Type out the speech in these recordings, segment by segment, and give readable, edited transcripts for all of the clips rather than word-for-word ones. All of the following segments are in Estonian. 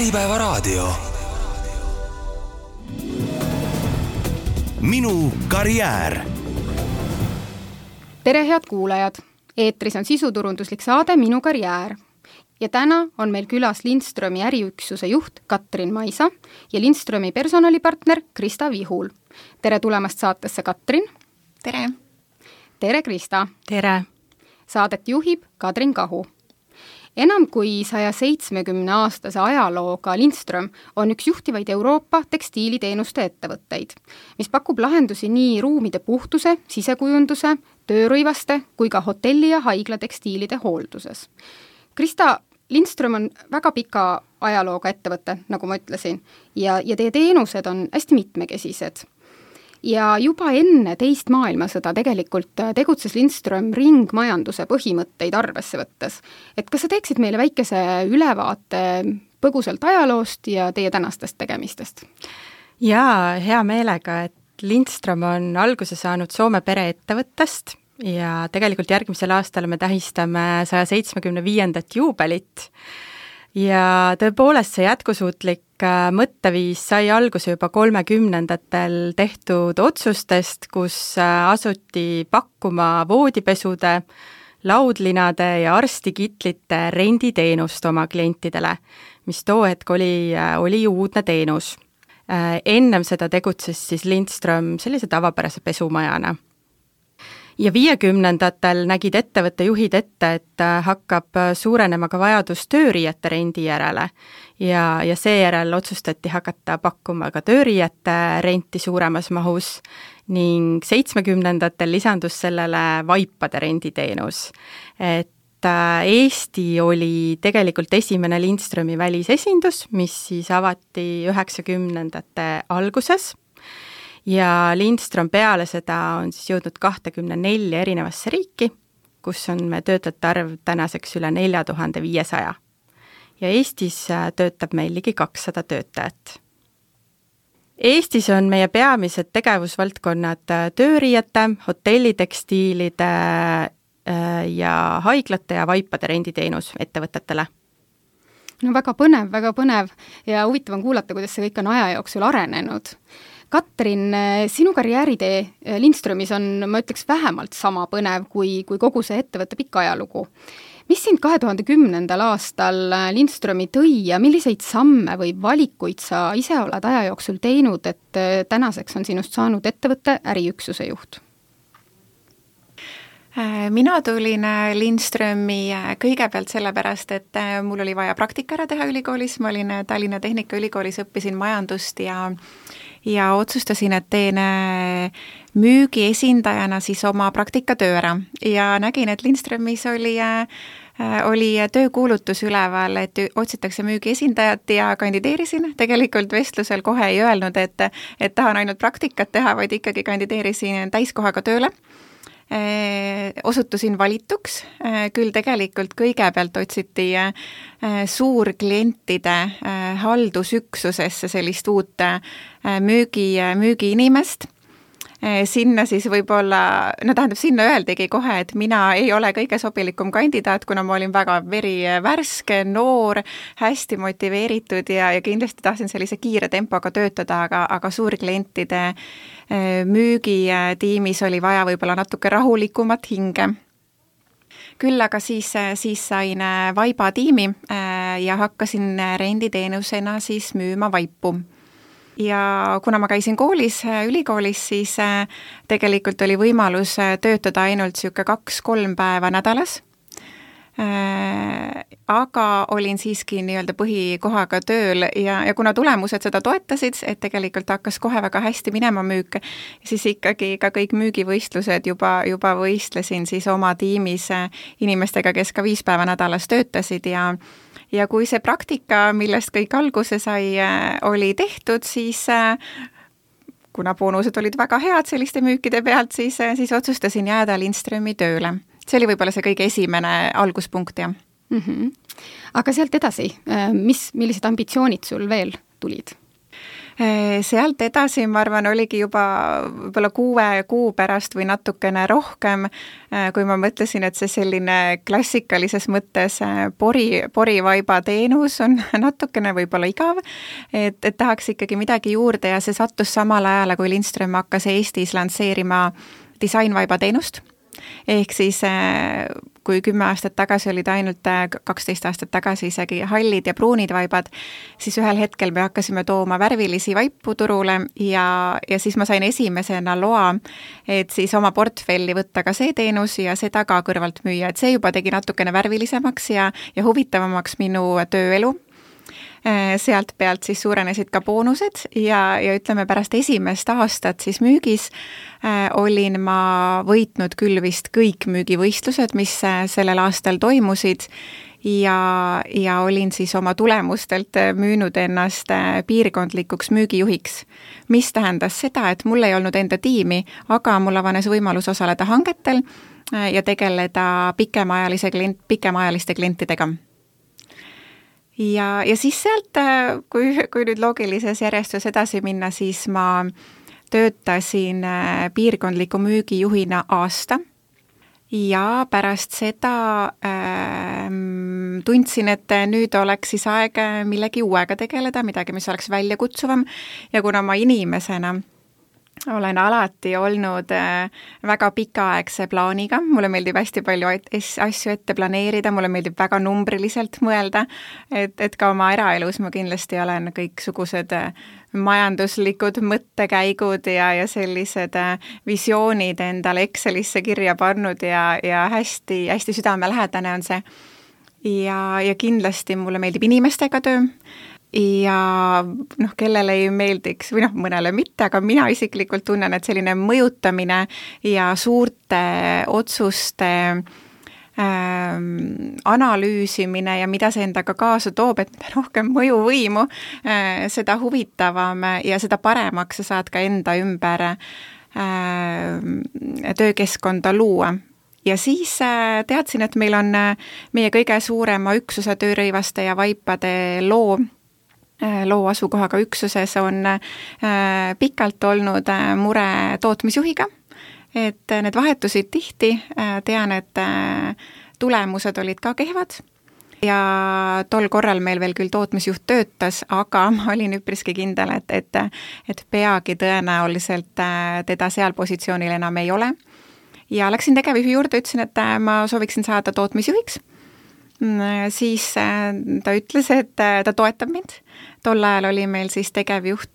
Äripäevaraadio. Minu karjäär. Tere head kuulajad! Eetris on sisuturunduslik saade Minu karjäär. Ja täna on meil külas Lindströmi äriüksuse juht Katrin Maisa ja Lindströmi personalipartner Krista Vihul. Tere tulemast saatesse, Katrin! Tere! Tere, Krista! Tere! Saadet juhib Kadrin Kahu. Enam kui 170-aastase ajalooga Lindström on üks juhtivaid Euroopa tekstiiliteenuste ettevõtteid, mis pakub lahendusi nii ruumide puhtuse, sisekujunduse, töörõivaste kui ka hotelli- ja haiglatekstiilide hoolduses. Krista, Lindström on väga pika ajalooga ettevõte, nagu ma ütlesin, ja teie teenused on hästi mitmekesised. Ja juba enne teist maailmasõda tegelikult tegutses Lindström ringmajanduse põhimõtteid arvesse võttes. Et kas sa teeksid meile väikese ülevaate põgusalt ajaloost ja teie tänastest tegemistest? Jaa, hea meelega, et Lindström on alguse saanud Soome pereettevõttest ja tegelikult järgmisel aastal me tähistame 175. juubelit. Ja tõepoolest see jätkusuutlik mõtteviis sai alguse juba 30-ndatel tehtud otsustest, kus asuti pakkuma voodipesude, laudlinade ja arstikitlite renditeenust oma klientidele, mis too hetk oli uudne teenus. Ennem seda tegutses siis Lindström sellise tavapärase pesumajana. Ja 50-ndatel nägid ettevõtte juhid ette, et hakkab suurenema ka vajadus tööriiete rendi järele ja seejärel otsustati hakata pakkuma ka tööriiete renti suuremas mahus ning 70-ndatel lisandus sellele vaipade renditeenus. Et Eesti oli tegelikult esimene Lindströmi välisesindus, mis siis avati 90-ndate alguses. Ja Lindström peale seda on siis jõudnud 24 erinevasse riiki, kus on me töötajate arv tänaseks üle 4500. Ja Eestis töötab meil ligi 200 töötajat. Eestis on meie peamised tegevusvaldkonnad tööriiete, hotellitekstiilide ja haiglate ja vaipade renditeenus ettevõtetele. No väga põnev ja huvitav on kuulata, kuidas see kõik on aja jooksul arenenud. Katrin, sinu karjääritee Lindströmis on, ma ütleks, vähemalt sama põnev kui kogu see ettevõtte pikk ajalugu. Mis sind 2010. aastal Lindströmi tõi ja milliseid samme või valikuid sa ise oled aja jooksul teinud, et tänaseks on sinust saanud ettevõtte äriüksuse juht? Mina tulin Lindströmi kõigepealt sellepärast, et mul oli vaja praktika ära teha ülikoolis. Ma olin Tallinna Tehnikaülikoolis, õppisin majandust ja otsustasin, et teen müügi esindajana siis oma praktikatöö ära. Ja nägin, et Lindströmis oli töökuulutus üleval, et otsitakse müügi esindajat ja kandideerisin. Tegelikult vestlusel kohe ei öelnud, et tahan ainult praktikat teha, vaid ikkagi kandideerisin täiskohaga tööle. Osutusin valituks, küll tegelikult kõigepealt otsiti suurklientide haldusüksusesse sellist uut müügiinimest. Sinna siis võib-olla, sinna öeldigi kohe, et mina ei ole kõige sobilikum kandidaat, kuna ma olin väga verivärske, noor, hästi motiveeritud ja kindlasti tahtsin sellise kiire tempoga töötada, aga suurklientide müügitiimis oli vaja võib-olla natuke rahulikumat hinge. Küll aga siis sain vaiba tiimi ja hakkasin renditeenusena siis müüma vaipu. Ja kuna ma käisin ülikoolis, siis tegelikult oli võimalus töötada ainult 2-3 päeva nädalas. Aga olin siiski nii-öelda põhikohaga tööl ja kuna tulemused seda toetasid, et tegelikult hakkas kohe väga hästi minema müük, siis ikkagi ka kõik müügivõistlused juba võistlesin siis oma tiimis inimestega, kes ka 5 päeva nädalas töötasid ja kui see praktika, millest kõik alguse sai, oli tehtud, siis kuna boonused olid väga head selliste müükide pealt, siis otsustasin jääda Lindströmi tööle. See oli võib-olla see kõige esimene alguspunkt, jah. Aga sealt edasi, millised ambitsioonid sul veel tulid? Sealt edasi, ma arvan, oligi juba võib-olla 6 kuu pärast või natukene rohkem, kui ma mõtlesin, et see selline klassikalises mõttes porivaiba teenus on natukene võib-olla igav, et tahaks ikkagi midagi juurde ja see sattus samal ajal, kui Lindström hakkas Eestis lansseerima disainvaiba teenust. Ehk siis kui 10 aastat tagasi olid ainult 12 aastat tagasi isegi hallid ja pruunid vaibad, siis ühel hetkel me hakkasime tooma värvilisi vaipu turule ja siis ma sain esimesena loa, et siis oma portfelli võtta ka see teenus ja seda ka kõrvalt müüa, et see juba tegi natukene värvilisemaks ja huvitavamaks minu tööelu. Sealt pealt siis suurenesid ka boonused ja ütleme pärast esimest aastat siis müügis olin ma võitnud küll vist kõik müügivõistlused, mis sellel aastal toimusid ja olin siis oma tulemustelt müünud ennast piirkondlikuks müügijuhiks, mis tähendas seda, et mul ei olnud enda tiimi, aga mul avanes võimalus osaleda hangetel ja tegeleda pikemaajaliste klientidega. Ja siis sealt, kui nüüd loogilises järjestus edasi minna, siis ma töötasin piirkondliku müügijuhina aasta ja pärast seda tundsin, et nüüd oleks siis aeg millegi uuega tegeleda, midagi, mis oleks väljakutsuvam ja kuna ma inimesena olen alati olnud väga pikaaegse plaaniga, mulle meeldib hästi palju asju ette planeerida, mulle meeldib väga numbriliselt mõelda, et ka oma eraelus ma kindlasti olen kõiksugused majanduslikud mõttekäigud ja sellised visioonid endale Excelisse kirja pannud ja hästi, hästi südamelähedane on see. Ja kindlasti mulle meeldib inimestega töö. Ja kellele ei meeldiks, või mõnele mitte, aga mina isiklikult tunnen, et selline mõjutamine ja suurte otsuste analüüsimine ja mida see endaga kaasa toob, et rohkem mõjuvõimu, seda huvitavam ja seda paremaks sa saad ka enda ümber töökeskkonda luua. Ja siis teadsin, et meil on meie kõige suurema üksuse töörõivaste ja vaipade loo asukohaga üksuses on pikalt olnud mure tootmisjuhiga, et need vahetusid tihti, tean, et tulemused olid ka kehvad ja tol korral meil veel küll tootmisjuht töötas, aga ma olin üpriski kindel, et peagi tõenäoliselt teda seal positsioonil enam ei ole. Ja läksin tegevjuhi juurde, ütlesin, et ma sooviksin saada tootmisjuhiks. Siis ta ütles, et ta toetab mind. Tol ajal oli meil siis tegevjuht,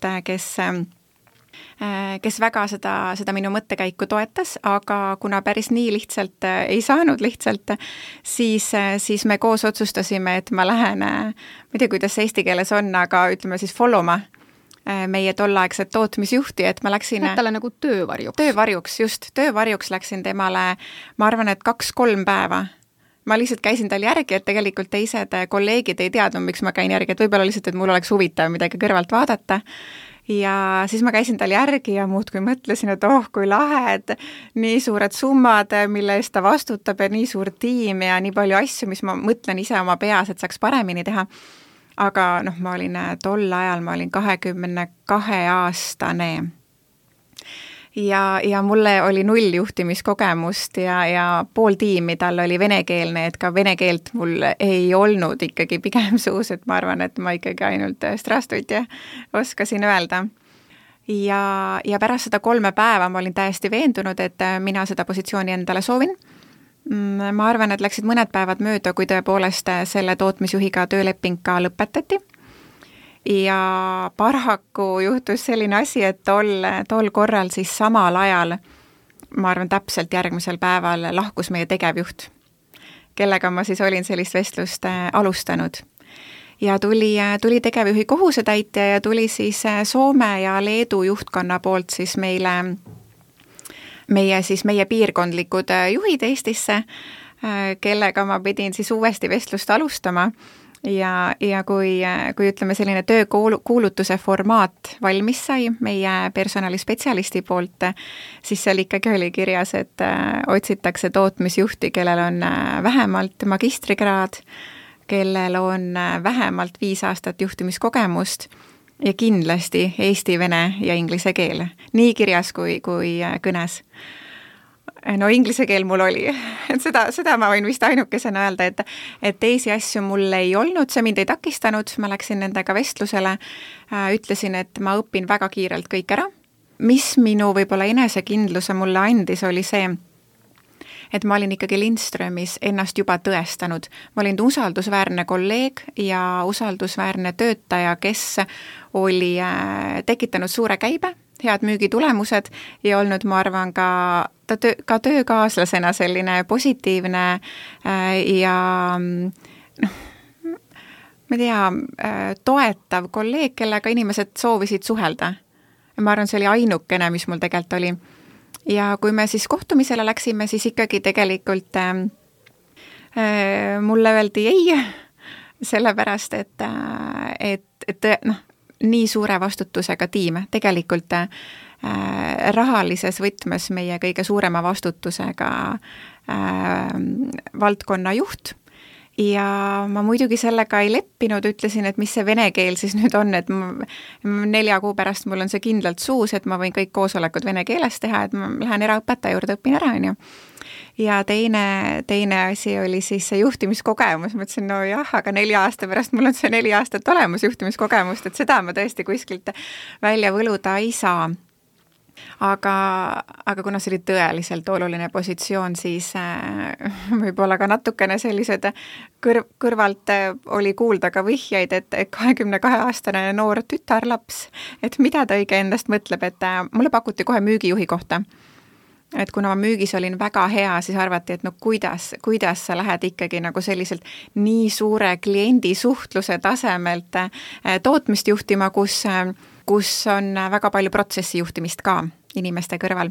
kes väga seda minu mõttekäiku toetas, aga kuna päris nii lihtsalt ei saanud lihtsalt, siis me koos otsustasime, et ma lähen, ma ei tea, kuidas see eesti keeles on, aga ütleme siis followma meie tollaegset tootmisjuhti, et ma läksin talle nagu töövarjuks. Töövarjuks läksin temale, ma arvan, et 2-3 päeva. Ma lihtsalt käisin tal järgi, et tegelikult teised kolleegid ei teadnud, miks ma käin järgi, et võib-olla lihtsalt, et mul oleks huvitav midagi kõrvalt vaadata. Ja siis ma käisin tal järgi ja muudkui mõtlesin, et kui lahe, et nii suured summad, mille eest ta vastutab ja nii suur tiim ja nii palju asju, mis ma mõtlen ise oma peas, et saaks paremini teha. Aga ma olin tol ajal, ma olin 22-aastane ja mulle oli 0 juhtimiskogemust ja pool tiimi tal oli venekeelne, et ka vene keelt mul ei olnud ikkagi pigem suus, et ma arvan, et ma ikkagi ainult strastutja oskasin öelda. Ja pärast seda 3 päeva ma olin täiesti veendunud, et mina seda positsiooni endale soovin. Ma arvan, et läksid mõned päevad mööda, kui tõepoolest selle tootmisjuhiga tööleping ka lõpetati. Ja paraku juhtus selline asi, et tol korral siis samal ajal, ma arvan täpselt järgmisel päeval lahkus meie tegevjuht, kellega ma siis olin sellist vestlust alustanud. Ja tuli tegevjuhi kohusetäitja ja tuli siis Soome ja Leedu juhtkonna poolt siis meie piirkondlikud juhid Eestisse, kellega ma pidin siis uuesti vestlust alustama ja kui ütleme selline töökuulutuse formaat valmis sai meie personalispetsialisti poolt, siis seal ikkagi oli kirjas, et otsitakse tootmisjuhti, kellel on vähemalt magistrikraad, kellel on vähemalt 5 aastat juhtimiskogemust ja kindlasti eesti, vene ja inglise keel, nii kirjas kui kõnes. No inglise keel mul oli, et seda ma võin vist ainukesena öelda, et teisi asju mul ei olnud, see mind ei takistanud, ma läksin nendega vestlusele, ütlesin, et ma õpin väga kiirelt kõik ära. Mis minu võib-olla enesekindluse mulle andis, oli see, et ma olin ikkagi Lindströmis ennast juba tõestanud. Ma olin usaldusväärne kolleeg ja usaldusväärne töötaja, kes oli tekitanud suure käibe, head müügitulemused ja olnud, ma arvan, ka töökaaslasena selline positiivne ja ma ei tea, toetav kolleeg, kellega inimesed soovisid suhelda. Ma arvan, see oli ainukene, mis mul tegelikult oli. Ja kui me siis kohtumisele läksime, siis ikkagi tegelikult mulle öeldi ei, sellepärast, et nii suure vastutusega tiim, tegelikult rahalises võtmes meie kõige suurema vastutusega valdkonna juht. Ja ma muidugi sellega ei leppinud, ütlesin, et mis see vene keel siis nüüd on, et 4 kuu pärast mul on see kindlalt suus, et ma võin kõik koosolekud vene keeles teha, et ma lähen eraõpetaja juurde, õpin ära, on ju. Ja teine asi oli siis see juhtimiskogemus, ma ütlesin, no jah, aga 4 aasta pärast mul on see 4 aastat olemas juhtimiskogemust, et seda ma tõesti kuskilt välja võluda ei saa. Aga kuna see oli tõeliselt oluline positsioon, siis võib-olla ka natukene sellised kõrvalt oli kuulda ka vihjeid, et 22-aastane noor tütarlaps, et mida ta õige endast mõtleb, et mulle pakuti kohe müügijuhi kohta. Et kuna ma müügis olin väga hea, siis arvati, et no kuidas sa lähed ikkagi nagu selliselt nii suure kliendi suhtluse tasemelt tootmist juhtima, kus on väga palju protsessi juhtimist ka inimeste kõrval.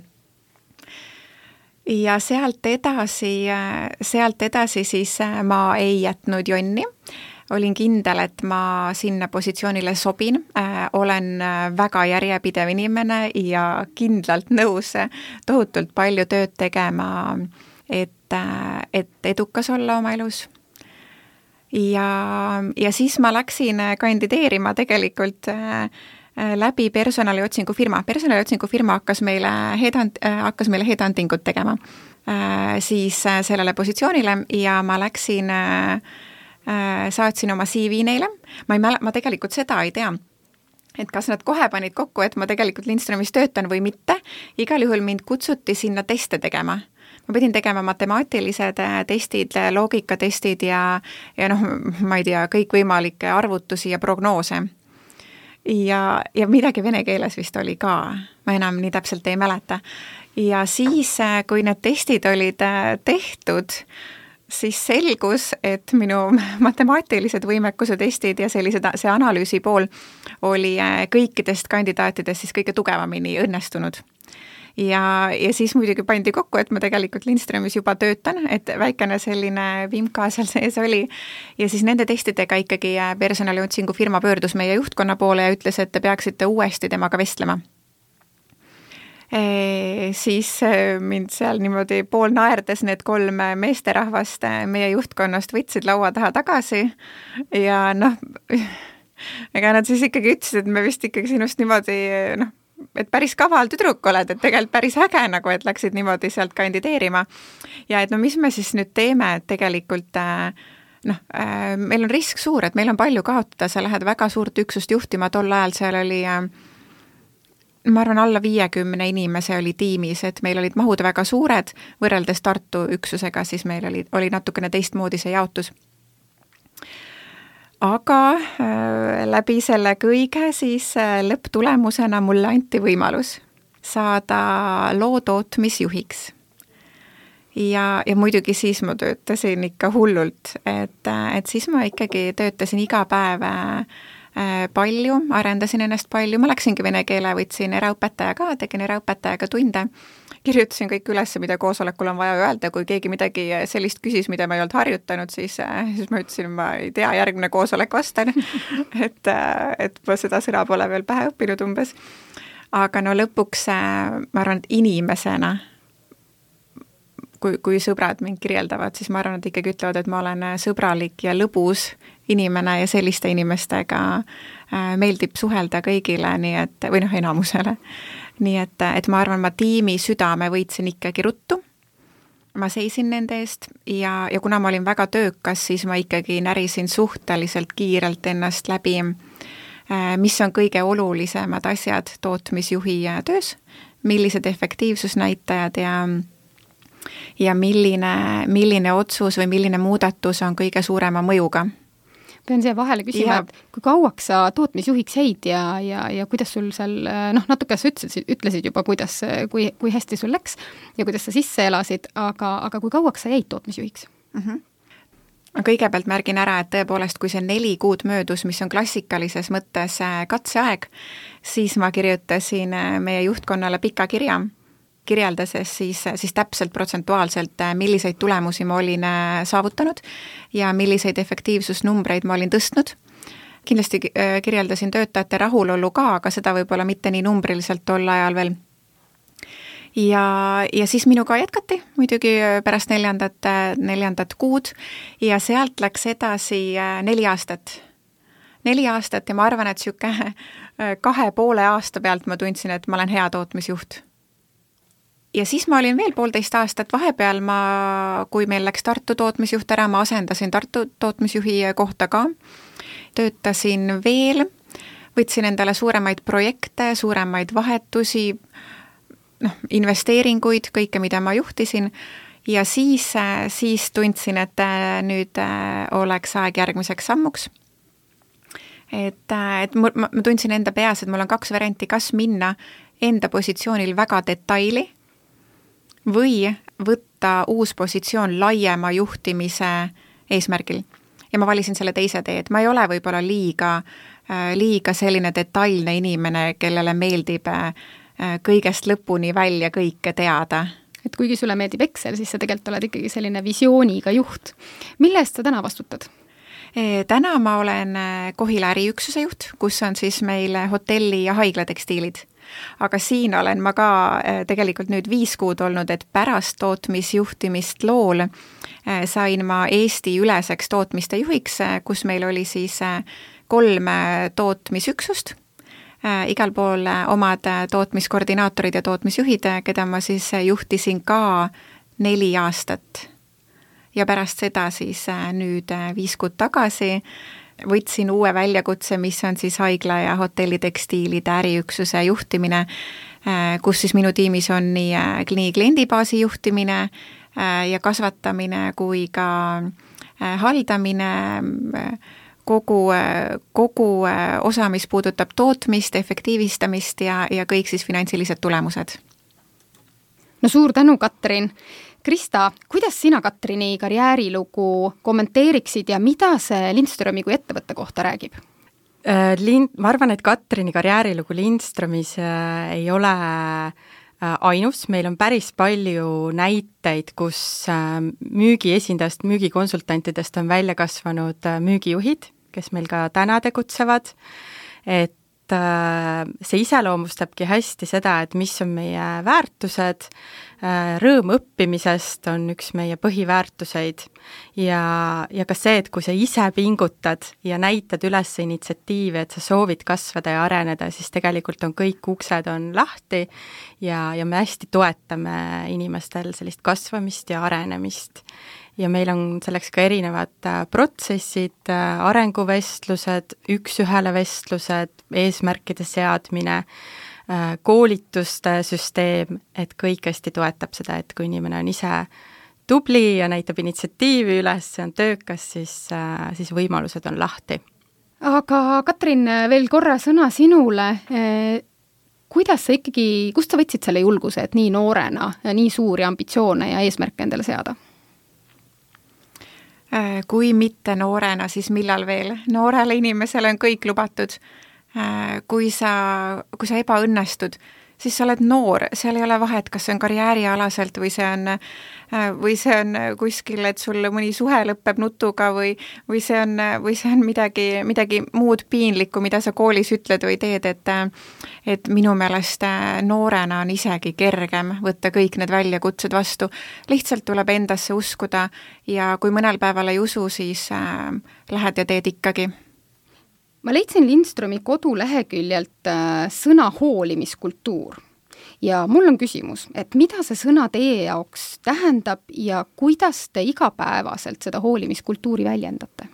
Ja sealt edasi siis ma ei jätnud jonni. Olin kindel, et ma sinna positsioonile sobin, olen väga järjepidev inimene ja kindlalt nõus tohutult palju tööd tegema, et edukas olla oma elus. Ja siis ma läksin kandideerima tegelikult läbi personaliotsingu firma. Personaliotsingu firma hakkas meile headhuntingut tegema siis sellele positsioonile ja ma läksin, saatsin oma CV neile. Ma tegelikult seda ei tea, et kas nad kohe panid kokku, et ma tegelikult Lindströmis töötan või mitte. Igal juhul mind kutsuti sinna teste tegema. Ma pidin tegema matemaatilised testid, loogikatestid ja ma ei tea, kõikvõimalikke arvutusi ja prognoose. Ja midagi vene keeles vist oli ka, ma enam nii täpselt ei mäleta. Ja siis, kui need testid olid tehtud, siis selgus, et minu matemaatilised võimekuse testid ja see analüüsi pool oli kõikidest kandidaatidest siis kõige tugevamini õnnestunud. Ja siis muidugi pandi kokku, et ma tegelikult Lindströmis juba töötan, et väikene selline vimka seal sees oli. Ja siis nende testidega ikkagi personaliotsingu firma pöördus meie juhtkonna poole ja ütles, et te peaksite uuesti temaga vestlema. Siis mind seal niimoodi pool naerdes need 3 meesterahvast meie juhtkonnast võtsid laua taha tagasi ja ega nad siis ikkagi ütlesid, et me vist ikkagi sinust niimoodi et päris kaval tüdruk oled, et tegelikult päris äge nagu, et läksid niimoodi sealt kandideerima. Ja et mis me siis nüüd teeme, et tegelikult meil on risk suur, et meil on palju kaotada, sa lähed väga suurt üksust juhtima, tol ajal seal oli ma arvan, alla 50 inimese oli tiimis, et meil olid mahud väga suured, võrreldes Tartu üksusega, siis meil oli natukene teistmoodi see jaotus. Aga läbi selle kõige siis lõpptulemusena mulle anti võimalus saada lootootmisjuhiks. Ja muidugi siis ma töötasin ikka hullult, et siis ma ikkagi töötasin iga päev palju, arendasin ennast palju, ma läksingi vene keele, võtsin eraõpetaja ka, tegin eraõpetajaga tunde, kirjutasin kõik üles, mida koosolekul on vaja öelda, kui keegi midagi sellist küsis, mida ma ei olnud harjutanud, siis ma ütlesin, ma ei tea, järgmine koosolek vastan, et ma seda sõna pole veel pähe õppinud umbes. Aga lõpuks ma arvan, et inimesena kui sõbrad mind kirjeldavad, siis ma arvan, et ikkagi ütlevad, et ma olen sõbralik ja lõbus inimene ja selliste inimestega meeldib suhelda kõigile, nii et, või enamusele. Nii et ma arvan, ma tiimi südame võitsin ikkagi ruttu. Ma seisin nende eest ja kuna ma olin väga töökas, siis ma ikkagi närisin suhteliselt kiirelt ennast läbi, mis on kõige olulisemad asjad tootmisjuhi töös, millised efektiivsusnäitajad ja milline otsus või milline muudatus on kõige suurema mõjuga. Pean siia vahele küsima, et kui kauaks sa tootmisjuhiks jäid ja kuidas sul seal, natuke sa ütlesid juba, kui hästi sul läks ja kuidas sa sisse elasid, aga kui kauaks sa jäid tootmisjuhiks? Kõigepealt märgin ära, et tõepoolest, kui see 4 kuud möödus, mis on klassikalises mõttes katseaeg, siis ma kirjutasin meie juhtkonnale pika kirja, kirjeldases siis täpselt protsentuaalselt, milliseid tulemusi ma olin saavutanud ja milliseid efektiivsusnumbreid ma olin tõstnud. Kindlasti kirjeldasin töötajate rahulolu ka, aga seda võib-olla mitte nii numbriliselt tol ajal veel. Ja siis minuga jätkati muidugi pärast 4. kuud ja sealt läks edasi 4 aastat. 4 aastat ja ma arvan, et 2,5 aasta pealt ma tundsin, et ma olen hea tootmisjuht. Ja siis ma olin veel 1,5 aastat vahepeal, kui meil läks Tartu tootmisjuht ära, ma asendasin Tartu tootmisjuhi kohta ka. Töötasin veel, võtsin endale suuremaid projekte, suuremaid vahetusi, investeeringuid, kõike, mida ma juhtisin ja siis tundsin, et nüüd oleks aeg järgmiseks sammuks. Et ma tundsin enda peas, et mul on 2 varianti, kas minna enda positsioonil väga detaili või võtta uus positsioon laiema juhtimise eesmärgil. Ja ma valisin selle teise tee, et ma ei ole võib-olla liiga selline detailne inimene, kellele meeldib kõigest lõpuni välja kõike teada. Et kuigi sulle meeldib Excel, siis sa tegelikult oled ikkagi selline visiooniga juht. Mille eest sa täna vastutad? Täna ma olen Kohila äriüksuse juht, kus on siis meil hotelli- ja haiglatekstiilid. Aga siin olen ma ka tegelikult nüüd 5 kuud olnud, et pärast tootmisjuhtimist lool sain ma Eesti üleseks tootmiste juhiks, kus meil oli siis 3 tootmisüksust, igal pool omad tootmiskoordinaatorid ja tootmisjuhid, keda ma siis juhtisin ka 4 aastat. Ja pärast seda siis nüüd 5 kuud tagasi võtsin uue väljakutse, mis on siis haigla- ja hotellitekstiilide äriüksuse juhtimine, kus siis minu tiimis on nii kliendibaasi juhtimine ja kasvatamine kui ka haldamine, kogu osa, mis puudutab tootmist, efektiivistamist ja kõik siis finantsilised tulemused. No suur tänu, Katrin! Krista, kuidas sina Katrini karjäärilugu kommenteeriksid ja mida see Lindströmi kui ettevõtte kohta räägib? Ma arvan, et Katrini karjäärilugu Lindströmis ei ole ainus, meil on päris palju näiteid, kus müügiesindajast, müügikonsultantidest on välja kasvanud müügijuhid, kes meil ka täna tegutsevad, et see iseloomustabki hästi seda, et mis on meie väärtused, rõõm õppimisest on üks meie põhiväärtuseid ja ka see, et kui sa ise pingutad ja näitad üles initsiatiivi, et sa soovid kasvada ja areneda, siis tegelikult on kõik uksed on lahti ja me hästi toetame inimestel sellist kasvamist ja arenemist. Ja meil on selleks ka erinevad protsessid, arenguvestlused, 1-1 vestlused, eesmärkide seadmine, koolituste süsteem, et kõik hästi toetab seda, et kui inimene on ise tubli ja näitab initsiatiivi üles, see on töökas, siis võimalused on lahti. Aga Katrin, veel korra sõna sinule. Kuidas sa ikkagi, kust sa võtsid selle julguse, et nii noorena nii suuri ambitsioone ja eesmärke endale seada? Kui mitte noorena, siis millal veel? Noorele inimesele on kõik lubatud. Kui sa ebaõnnestud, siis sa oled noor, seal ei ole vahet, kas see on karjäärialaselt või see on kuskil, et sul mõni suhe lõpeb nutuga või see on midagi muud piinlikku, mida sa koolis ütled või teed, et minu meelest noorena on isegi kergem võtta kõik need väljakutsed vastu. Lihtsalt tuleb endasse uskuda ja kui mõnel päeval ei usu, siis lähed ja teed ikkagi. Ma leidsin Lindstromi koduleheküljelt sõna hoolimiskultuur ja mul on küsimus, et mida see sõna teie jaoks tähendab ja kuidas te igapäevaselt seda hoolimiskultuuri väljendate?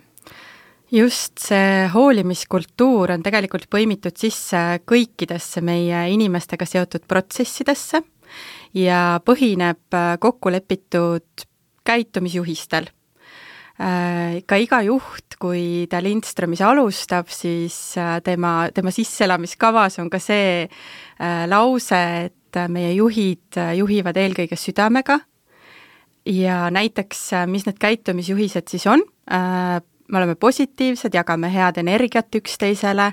Just see hoolimiskultuur on tegelikult põimitud sisse kõikidesse meie inimestega seotud protsessidesse ja põhineb kokkulepitud käitumisjuhistel. Ka iga juht, kui ta Lindstromis alustab, siis tema sisselamiskavas on ka see lause, et meie juhid juhivad eelkõige südamega ja näiteks, mis need käitumisjuhised siis on, me oleme positiivsed, jagame head energiat üksteisele,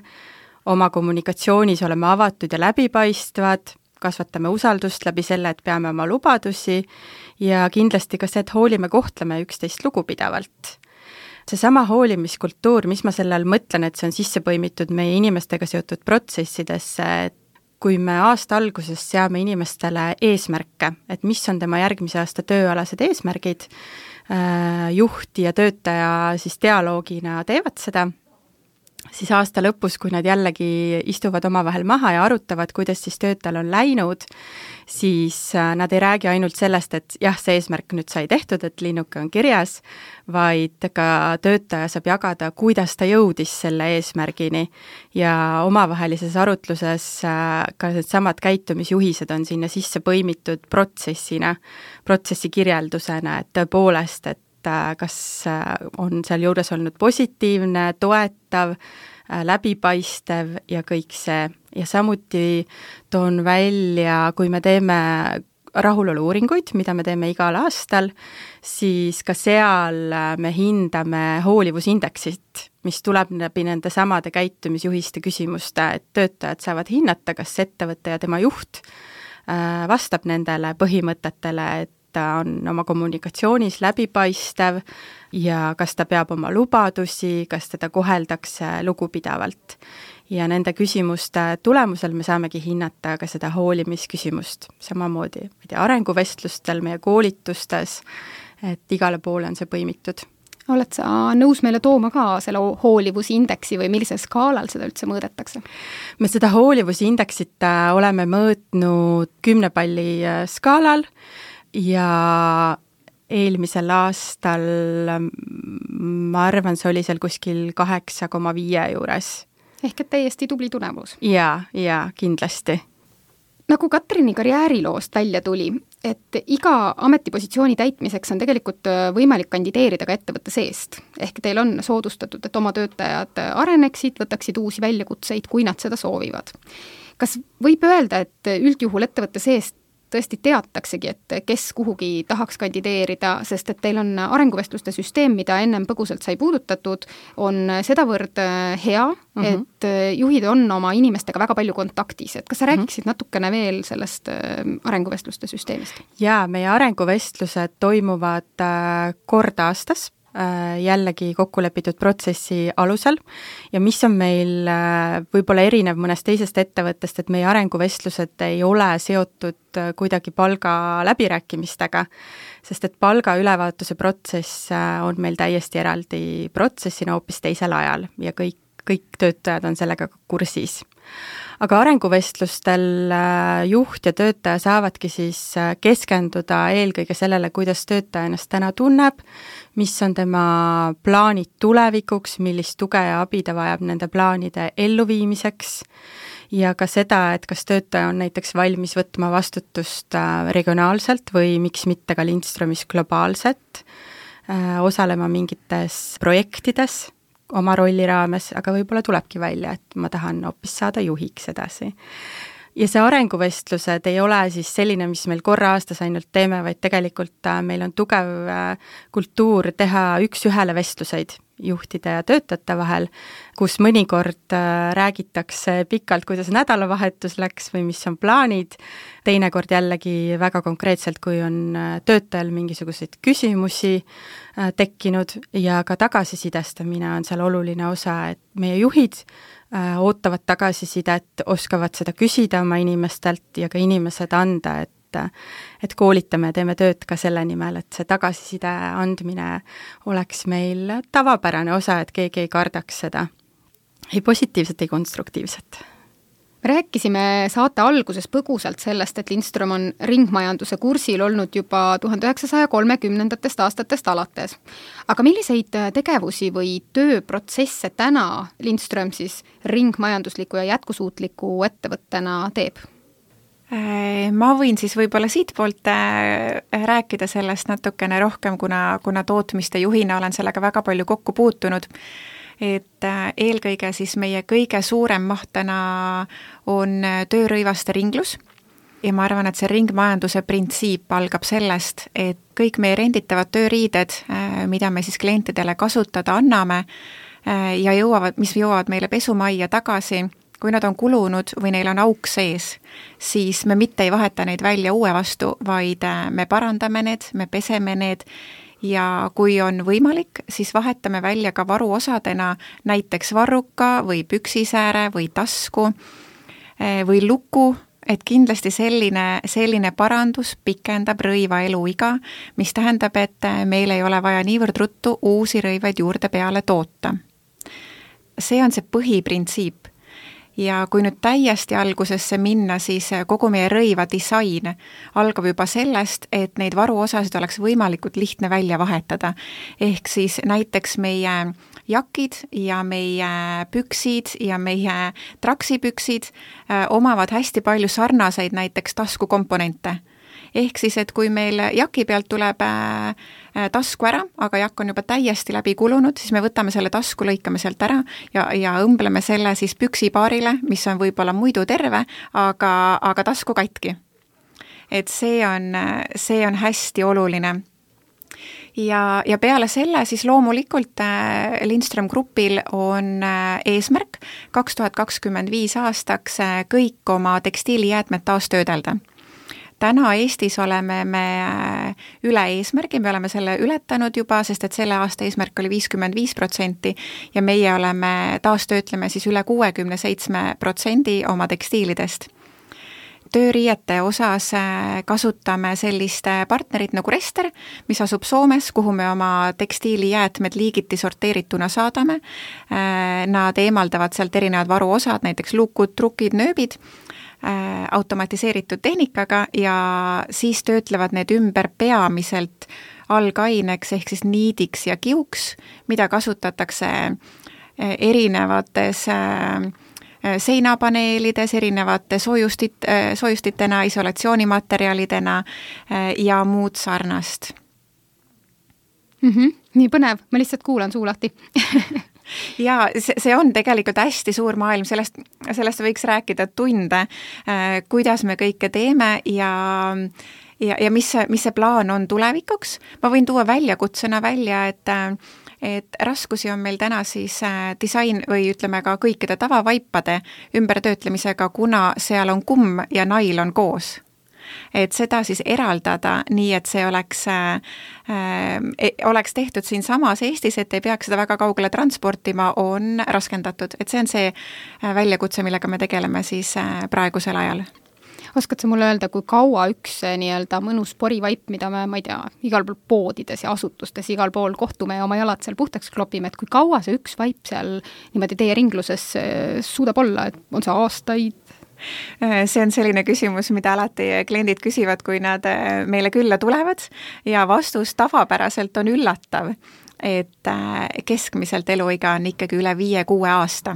oma kommunikatsioonis oleme avatud ja läbipaistvad, kasvatame usaldust läbi selle, et peame oma lubadusi ja kindlasti ka see, et hoolime, kohtleme üksteist lugupidavalt. Seesama hoolimiskultuur, mis ma selle all mõtlen, et see on sisse põimitud meie inimestega seotud protsessidesse, et kui me aasta alguses seame inimestele eesmärke, et mis on tema järgmise aasta tööalased eesmärgid, juht ja töötaja siis dialoogina teevad seda, siis aasta lõpus, kui nad jällegi istuvad omavahel maha ja arutavad, kuidas siis töötajal on läinud, siis nad ei räägi ainult sellest, et jah, see eesmärk nüüd sai tehtud, et linnuke on kirjas, vaid ka töötaja saab jagada, kuidas ta jõudis selle eesmärgini ja omavahelises arutluses ka need samad käitumisjuhised on sinna sisse põimitud protsessina, protsessi kirjeldusena, et tõepoolest, et kas on seal juures olnud positiivne, toetav, läbipaistev ja kõik see. Ja samuti toon välja, kui me teeme rahulolu-uuringuid, mida me teeme igal aastal, siis ka seal me hindame hoolivusindeksit, mis tuleb läbi nende samade käitumisjuhiste küsimuste, et töötajad saavad hinnata, kas ettevõte ja tema juht vastab nendele põhimõtetele, et ta on oma kommunikatsioonis läbipaistev ja kas ta peab oma lubadusi, kas teda koheldakse lugupidavalt. Ja nende küsimuste tulemusel me saamegi hinnata ka seda hoolimisküsimust. Samamoodi arenguvestlustel, meie koolitustes, et igale poole on see põimitud. Oled sa nõus meile tooma ka selle hoolivusindeksi või millisel skaalal seda üldse mõõdetakse? Me seda hoolivusindeksit oleme mõõtnud 10 palli skaalal, ja eelmisel aastal ma arvan, see oli seal kuskil 8,5 juures. Ehk et täiesti tubli tulemus. Ja kindlasti. Nagu Katrini karjääriloost välja tuli, et iga ametipositsiooni täitmiseks on tegelikult võimalik kandideerida ka ettevõtte seest. Ehk teil on soodustatud, et oma töötajad areneksid, võtaksid uusi väljakutseid, kui nad seda soovivad. Kas võib öelda, et üldjuhul ettevõtte seest tõesti teataksegi, et kes kuhugi tahaks kandideerida, sest et teil on arenguvestluste süsteem, mida ennem põgusalt sai puudutatud, on sedavõrd hea, et juhid on oma inimestega väga palju kontaktis. Et kas sa rääkiksid natukene veel sellest arenguvestluste süsteemist? Jaa, meie arenguvestlused toimuvad kord aastas, jällegi kokkulepitud protsessi alusel ja mis on meil võib-olla erinev mõnest teisest ettevõttest, et meie arenguvestlused ei ole seotud kuidagi palga läbirääkimistega, sest et palga ülevaatuse protsess on meil täiesti eraldi protsessina hoopis teisel ajal ja kõik töötajad on sellega kursis. Aga arenguvestlustel juht ja töötaja saavadki siis keskenduda eelkõige sellele, kuidas töötaja ennast täna tunneb, mis on tema plaanid tulevikuks, millist tuge ja abi ta vajab nende plaanide elluviimiseks ja ka seda, et kas töötaja on näiteks valmis võtma vastutust regionaalselt või miks mitte ka Lindstromis globaalselt, osalema mingites projektides oma rolli raames, aga võib-olla tulebki välja, et ma tahan hoopis saada juhiks edasi. Ja see arenguvestlused ei ole siis selline, mis meil korra aastas ainult teeme, vaid tegelikult meil on tugev kultuur teha üks-ühele vestluseid juhtide ja töötajate vahel, kus mõnikord räägitakse pikalt, kuidas nädalavahetus läks või mis on plaanid, teinekord jällegi väga konkreetselt, kui on töötajal mingisuguseid küsimusi tekkinud ja ka tagasisidestamine on seal oluline osa, et meie juhid ootavad tagasisidet, oskavad seda küsida oma inimestelt ja ka inimesed anda, et koolitame ja teeme tööd ka selle nimel, et see tagasiside andmine oleks meil tavapärane osa, et keegi ei kardaks seda, ei positiivset, ei konstruktiivset. Me rääkisime saate alguses põgusalt sellest, et Lindström on ringmajanduse kursil olnud juba 1930. aastatest alates. Aga milliseid tegevusi või tööprotsesse täna Lindström siis ringmajandusliku ja jätkusuutliku ettevõttena teeb? Ma võin siis võib-olla siit poolt rääkida sellest natukene rohkem, kuna tootmiste juhina olen sellega väga palju kokku puutunud. Et eelkõige siis meie kõige suurem maht täna on töörõivaste ringlus ja ma arvan, et see ringmajanduse printsiip algab sellest, et kõik meie renditavad tööriided, mida me siis klientidele kasutada anname ja mis jõuavad meile pesumajja tagasi, kui nad on kulunud või neil on auk sees, siis me mitte ei vaheta neid välja uue vastu, vaid me parandame need, me peseme need ja kui on võimalik, siis vahetame välja ka varuosadena näiteks varruka või püksisääre või tasku või luku, et kindlasti selline parandus pikendab rõiva eluiga, mis tähendab, et meil ei ole vaja niivõrd ruttu uusi rõivaid juurde peale toota. See on see põhiprintsiip. Ja kui nüüd täiesti algusesse minna, siis kogu meie rõiva disain algab juba sellest, et neid varuosasid oleks võimalikult lihtne välja vahetada. Ehk siis näiteks meie jakid ja meie püksid ja meie traksipüksid omavad hästi palju sarnaseid näiteks taskukomponente. Ehk siis, et kui meil jaki pealt tuleb tasku ära, aga jakk on juba täiesti läbi kulunud, siis me võtame selle tasku, lõikame sealt ära ja õmbleme selle siis püksipaarile, mis on võib-olla muidu terve, aga tasku katki. Et see on hästi oluline. Ja peale selle siis loomulikult Lindström Grupil on eesmärk 2025 aastaks kõik oma tekstiilijäätmed taastöödelda. Täna Eestis oleme me üle eesmärgi, me oleme selle ületanud juba, sest et selle aasta eesmärk oli 55% ja meie oleme taastöötleme siis üle 67% oma tekstiilidest. Tööriiete osas kasutame sellist partnerit nagu Rester, mis asub Soomes, kuhu me oma tekstiilijäätmed liigiti sorteerituna saadame. Nad eemaldavad sealt erinevad varuosad, näiteks lukud, trukid, nööbid, automatiseeritud tehnikaga ja siis töötlevad need ümber peamiselt algaineks ehk siis niidiks ja kiuks, mida kasutatakse erinevates seinapaneelides, erinevate soojustitena, isolatsioonimaterjalidena ja muud sarnast. Nii põnev, ma lihtsalt kuulan suu lahti. Ja see on tegelikult hästi suur maailm, sellest võiks rääkida tunde, kuidas me kõike teeme ja mis see plaan on tulevikuks. Ma võin tuua väljakutsena välja, et raskusi on meil täna siis disain või ütleme ka kõikide tavavaipade ümbertöötlemisega, kuna seal on kumm ja nailon koos. Et seda siis eraldada nii, et see oleks tehtud siin samas Eestis, et ei peaks seda väga kaugele transportima, on raskendatud. Et see on see väljakutse, millega me tegeleme siis praegusel ajal. Oskad sa mulle öelda, kui kaua üks nii-öelda mõnus porivaip, mida me, ma ei tea, igal pool poodides ja asutustes igal pool kohtume ja oma jalad seal puhtaks klopime, et kui kaua see üks vaip seal niimoodi teie ringluses suudab olla, et on see aastaid? See on selline küsimus, mida alati kliendid küsivad, kui nad meile külla tulevad ja vastus tavapäraselt on üllatav, et keskmiselt eluiga on ikkagi üle 5-6 aasta.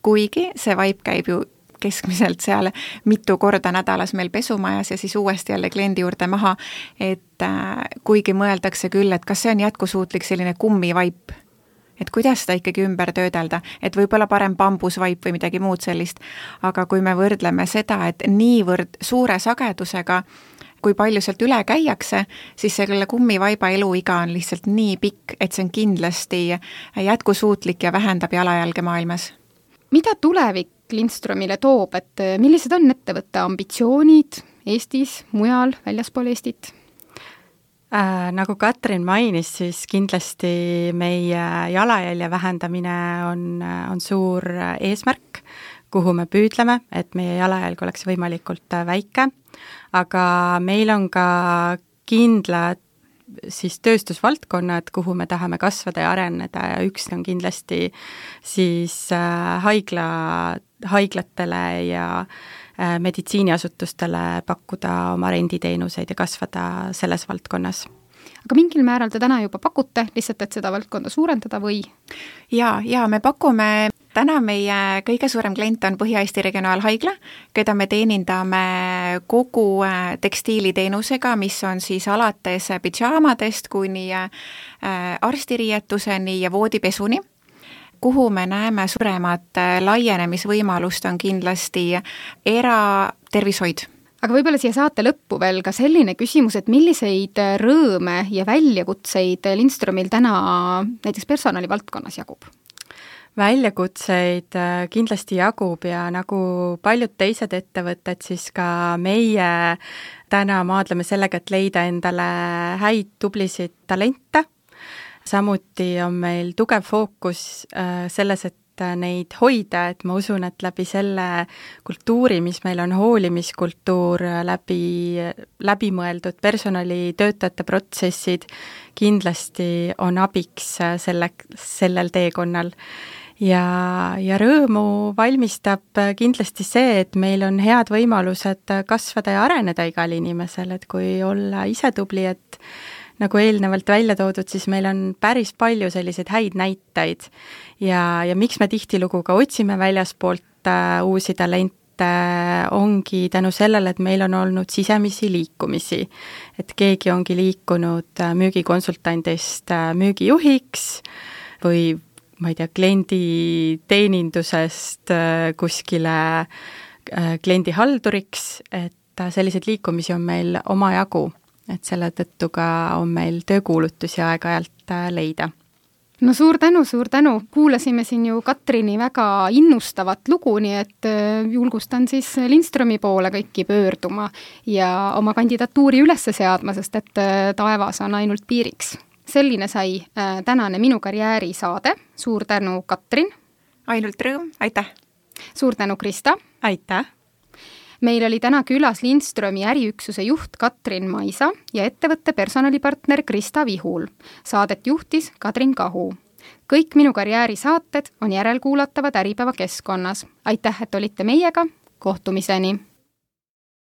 Kuigi see vaip käib ju keskmiselt seal mitu korda nädalas meil pesumajas ja siis uuesti jälle kliendi juurde maha, et kuigi mõeldakse küll, et kas see on jätkusuutlik selline kummivaip, et kuidas seda ikkagi ümber töödelda, et võib-olla parem bambusvaip või midagi muud sellist, aga kui me võrdleme seda, et niivõrd suure sagedusega kui palju sealt üle käiakse, siis selle kummivaiba eluiga on lihtsalt nii pikk, et see on kindlasti jätkusuutlik ja vähendab jalajälge maailmas. Mida tulevik Lindströmile toob, et millised on ettevõtte ambitsioonid Eestis, mujal, väljaspool Eestit? Nagu Katrin mainis, siis kindlasti meie jalajälje vähendamine on suur eesmärk, kuhu me püüdleme, et meie jalajälg oleks võimalikult väike, aga meil on ka kindlad siis tööstusvaldkonnad, kuhu me tahame kasvada ja areneda ja üks on kindlasti siis haiglatele ja meditsiiniasutustele pakkuda oma renditeenuseid ja kasvada selles valdkonnas. Aga mingil määral te täna juba pakute, lihtsalt et seda valdkonda suurendada või? Ja me pakume, täna meie kõige suurem klient on Põhja-Eesti Regionaalhaigla, keda me teenindame kogu tekstiiliteenusega, mis on siis alates pidžaamadest kuni arstiriietuseni ja voodipesuni. Kuhu me näeme suuremat laienemisvõimalust on kindlasti eratervishoid. Aga võib-olla siia saate lõppu veel ka selline küsimus, et milliseid rõõme ja väljakutseid Lindströmil täna näiteks personalivaldkonnas jagub? Väljakutseid kindlasti jagub ja nagu paljud teised ettevõtted, siis ka meie täna maadleme sellega, et leida endale häid tublisid talente. Samuti on meil tugev fookus selles, et neid hoida, et ma usun, et läbi selle kultuuri, mis meil on hoolimiskultuur, läbimõeldud personalitöötajate protsessid, kindlasti on abiks sellel teekonnal. Ja rõõmu valmistab kindlasti see, et meil on head võimalused kasvada ja areneda igal inimesel, et kui olla ise tubli, et nagu eelnevalt välja toodud, siis meil on päris palju selliseid häid näiteid ja miks me tihtilugu ka otsime väljaspoolt uusi talente, ongi tänu sellele, et meil on olnud sisemisi liikumisi. Et keegi ongi liikunud müügikonsultandist müügijuhiks või ma ei tea, klienditeenindusest kuskile kliendihalduriks, et selliseid liikumisi on meil omajagu. Et selle tõttu ka on meil töökuulutusi aeg-ajalt leida. No suur tänu, kuulasime siin ju Katrini väga innustavat lugu, nii et julgustan siis Lindströmi poole kõiki pöörduma ja oma kandidatuuri üles seadma, sest et taevas on ainult piiriks. Selline sai tänane Minu karjääri saade, suur tänu Katrin. Ainult rõõm, aitäh. Suur tänu Krista. Aitäh. Meil oli täna külas Lindströmi äriüksuse juht Katrin Maisa ja ettevõtte personalipartner Krista Vihul. Saadet juhtis Katrin Kahu. Kõik Minu karjääri saated on järelkuulatavad Äripäeva keskkonnas. Aitäh, et olite meiega. Kohtumiseni!